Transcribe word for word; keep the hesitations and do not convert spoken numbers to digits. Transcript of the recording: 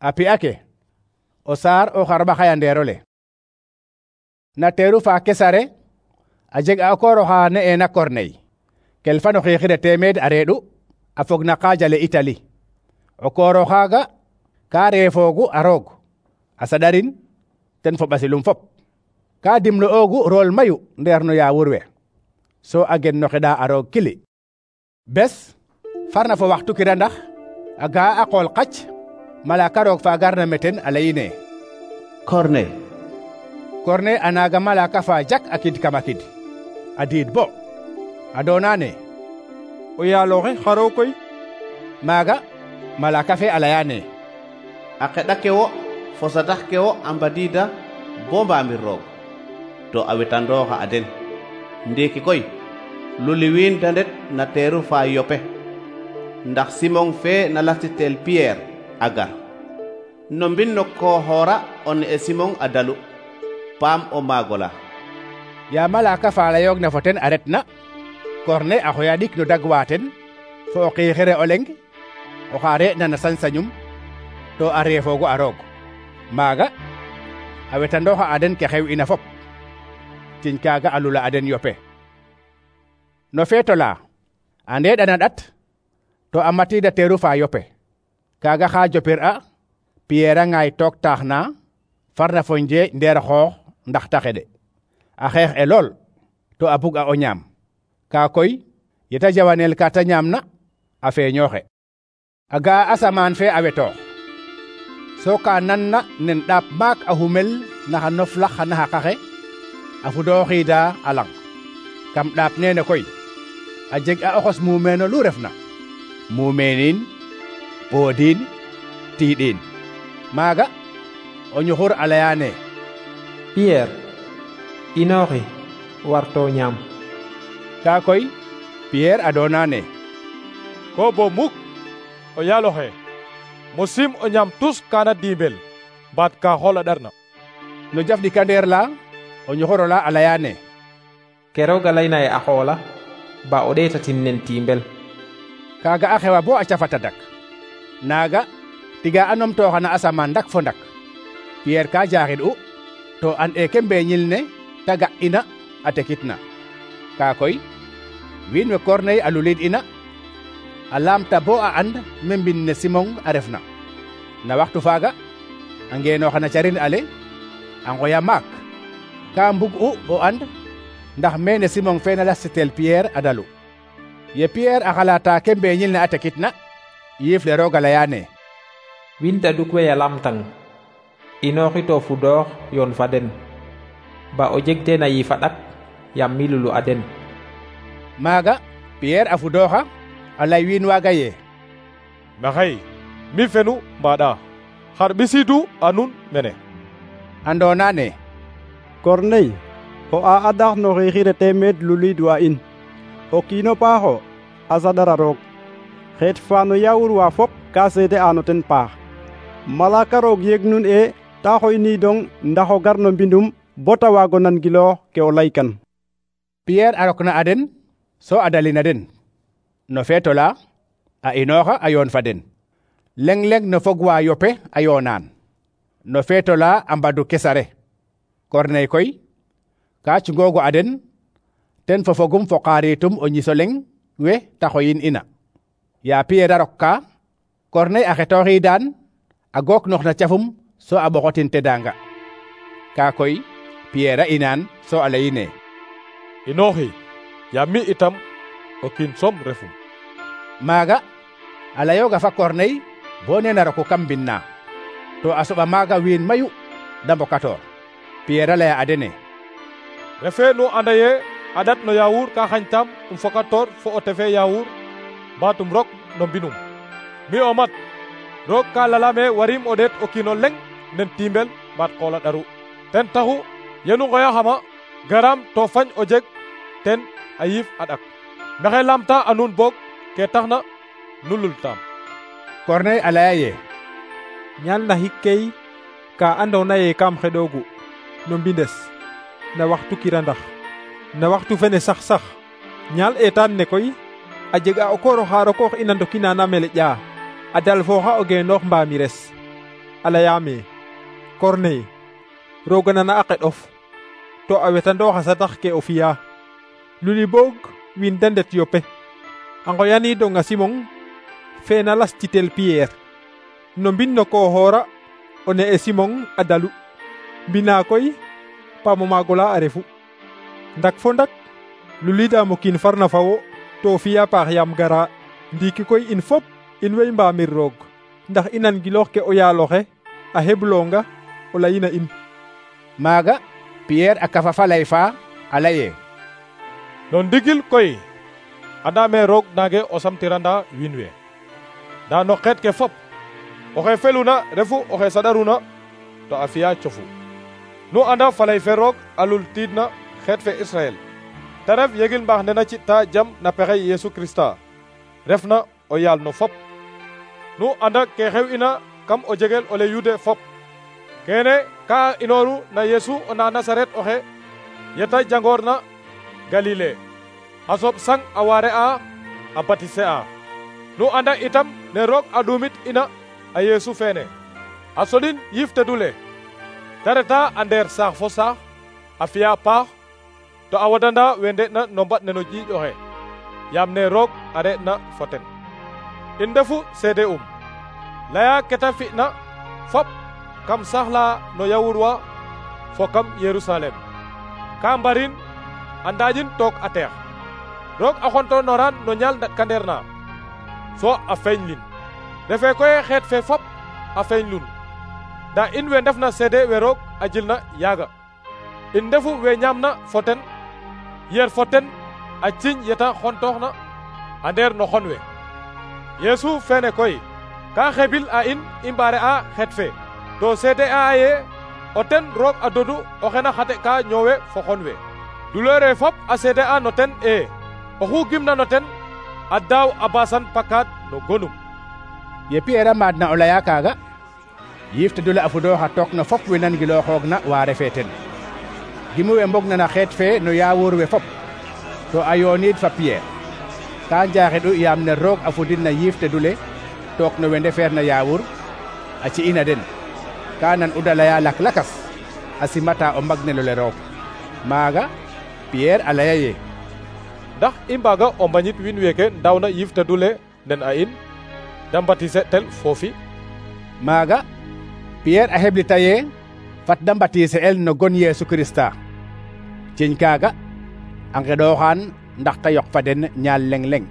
a pi'a ke o saar o xarɓaxay a ndeerole. Na teeru fa Kesare a jeg a o koor oxa ne'eena Corneille kel fan o xiixire teemeed a reeɗu a fog na qaajale Itali. o koor oxaaga ka reefoogu a roog a saɗarin ten fo ɓasilum fop. ka dimle'oogu rool mayu ndeer no yaawur we so a gen no xeɗa a roog kili. bes farna fo waxtu kirandax a ga'a a qool qac malaka roog fa garna meten a leyine Corneille. Corneille a naaga malaka fa jak a kid kama kid a diid bo a doonane o yaaloxe xaro koy. maaga malaka fe a leyane a xeɗa ke wo fo satax ke wo a mbadiida bo mbaamir roog to a wetandooxa a den. ndiiki koy luliwiin da ndet na teeru fa Yope ndax Simon fe na lastitel Pierre a gar no mbin no kooxoora o ne'e Simon a dalu paam o maagola. ya malaka fa layoogna fo ten a retna Corneille a xoya ɗik no dagwa ten fo o xiixire o leng oxa re'na na sañ-sañum to a reefoogu a roog. maaga a wetandooxa a den ke xew ina fop tiñ kaaga a lula a den Yope. no feeto la a ndeeɗana ɗat to a matiida teeru fa Yope kaaga xa jopir a Pierre a ŋaay took taax na farna fo njeeƴ ndeer xoox ndax ta xeɗe a xeex e lool to a bug a o ñaam. kaa koy yeta jawanel ka ta ñaam na a feeñooxe a ga'a asamaan fe a wetoox so ka nan na nen ɗaap maak a humel naxa noflax xa naxaqaxe a fudooxiida a lang kam ɗaap neene koy a jeg a oxos mumeeno lu refna mumeenin poodin tiiɗin. maaga o ñuxur a leyaane Pierre inooxi warto ñaam. kaa koy Pierre a doonane ko bo muk o yaaloxe mosim o ñaam tus kana diimbel baat ka xool a ɗarna. no jaf ɗikandeer la o ñuxurola a leyaane ke roog a layna ye a xoola ba o ɗeetatin nen tiimbel. kaaga a xewa bo a cafata dak naaga tiga a numtooxa na asamaan ndak fo ndak. Pierre ka jaaxid u to an e ke mbeeñil ne ta ga ina a tekitna. kaa koy wiin we Corneille a lulid ina a laamta bo a and me mbin ne Simon a refna. na waxtu faaga a ngeenooxa na carin ale a ngoya maak ka mbug u o and ndax mene Simon fe na lastitel Pierre a dalu. ye Pierre a xalaata ke mbeeñil ne a tekitna yiif le roog a leyaane wiin taduk we ya lamtang inooxi to fudoox yoon fa den ba o jeg teen a yiif a ɗak yam mi lulu a den. maaga Pierre a fudooxa a lay wiin waaga ye maxey mi fenu mbaɗa xar ɓisiidu a nun mene. a ndoonane Corneille o a adax no xiixire teemeed luliidwa in o kiino paaxo a saɗara roog xeet fa no yaawur wa fop ka seede ano ten paax. malaka roog yeg nun e ta xoyniidong ndax o gar no mbindum bo ta waago nangiloox ke o laykan. Pierre a rokna a den so a dalina den no feeto la a inooxa a yoon fa den leng-leng no fog wa Yope a yoonaan no feeto la a mbadu Kesare. Corneille koy ka cungoogu a den ten fo fogum fo qaaritum o ñiso leng we ta xoyin ina. ya Pierre a rok ka Corneille a xetooxiidaan a gook nox na cafum so a ɓoxotin tedanga. kaa koy Pierre a inaan so a leyine inooxi yaam mi itam o kiin som refum. maaga a layooga fa Corneille bo nena roku kam mbin na to a soɓa maaga wiin mayu da mbokatoor. Pierre a laya a dene refe nu anda ye a ɗat no yaawur ka xañtam um fokatoor fo o tefe yaawur mbatum rok no mbinum. mi o mat roog ka lalame warim o ɗeet o kiino leng nen tiimbel mbaat qoola ɗaru. ten taxu yenu ngoyaxama garam to fañ o jeg ten a yiif a ɗak maxey lamta a nuun boog ke taxna nu lultaam. Corneille a laya ye ñaal na xikkey ka andoona ye kam xeɗoogu no mbindes na waxtu kirandax na waxtu fene sax sax ñaal eetaan ne koy a jega o koor oxa rokoox ina ndokina na mele ƴaa a dal fooxa o geenoox mbaamires a layame, Corneille, roga nana a qeɗof, to a wetandooxa sadax ke o fi'a. Luli boog wiin de ndet Yope, a ngoyanidong a Simon fe na las citel Pierre. No mbin no kooxoora o ne'e Simon a dalu, mbina koy paamo maagola a refu. Ndak fo ndak lulidaam o kiin farna fa wo to fi'a paax yaam gara. Ndiiki koy in fop in way mbaamir roog, ndax i nan giloox ke o yaaloxe a heblonga o layina in. Maaga Pierre a kafa fa lay fa a laye, no ndigil koy andame roog nange o samtiranda wiin we, nda no xeet ke fop oxe feluna refu oxe saɗaruna to a fi'a cofu. Nu anda falay fe roog a lul tiidna xeet fe Israel, te ref yegil mbaax ne na ci'ta jam na pexey Yesu Krista refna o yaal no fop. Nu anda ke xew ina kam o jegel ole yude fop, kene ka inoru na Yesu o na Nasaret oxe yeta jangoor na Galile, a soɓ sang a waare a a batise a. Nu anda itam ne roog a ɗumit ina a Yesu fene a soɗin yiif tedule, te reta a ndeer saax fo saax a fi'a paax to a wadanda we nde'na no mbaɗ ne no ƴiiƴ oxe, yaam ne roog a re'na fo ten. In ndefu seede um laya keta fi'na fop kam saax la no yawur wa fo kam Yerusalem, ka mbarin a ndaƴin took a teex. Roog a xontonoran no ñaal ndaɗkandeer na so a feeñlin, refe koy xeet fe fop a feeñlun, nda in we ndefna seede we roog a jilna yaaga. In ndefu we ñaamna fo ten, yer fo ten a ciñ yeta xontooxna a ndeer no xon we. Yesu fene koy ka xebil a in i mbaare a xeet fe, to seede a ye o ten roog a dodu oxe na xate ka ñoowe fo xon we. Duleere fop a seede a no ten e oxu gimna no ten a daaw a basan pakaad no gonum. ye Pierre a maadna o laya kaaga, yiif tedule a fudooxa took no fop we nangilooxoogna wa refe ten. Gimu we mbogna na xeet fe no yaawur we fop, to a yooniid fa Pierre, ka njaaxeɗu yaam ne roog a fudin na yiif tedule took no we ndefeer na yaawur a ci'ina den. Ka nan uda laya lak lakas a simata o mbagnelole roog. Maaga Pierre a laya ye, ndax i mbaaga o mbañit wiin weeke ndawna yiif tedule nen a in da mbatise tel foofi. Maaga Pierre a heblita ye fat da mbatise el no gon Yesu Krista. Ciñ kaaga a ngeɗooxaan ndax ta yoq fa den ñaal leng leng.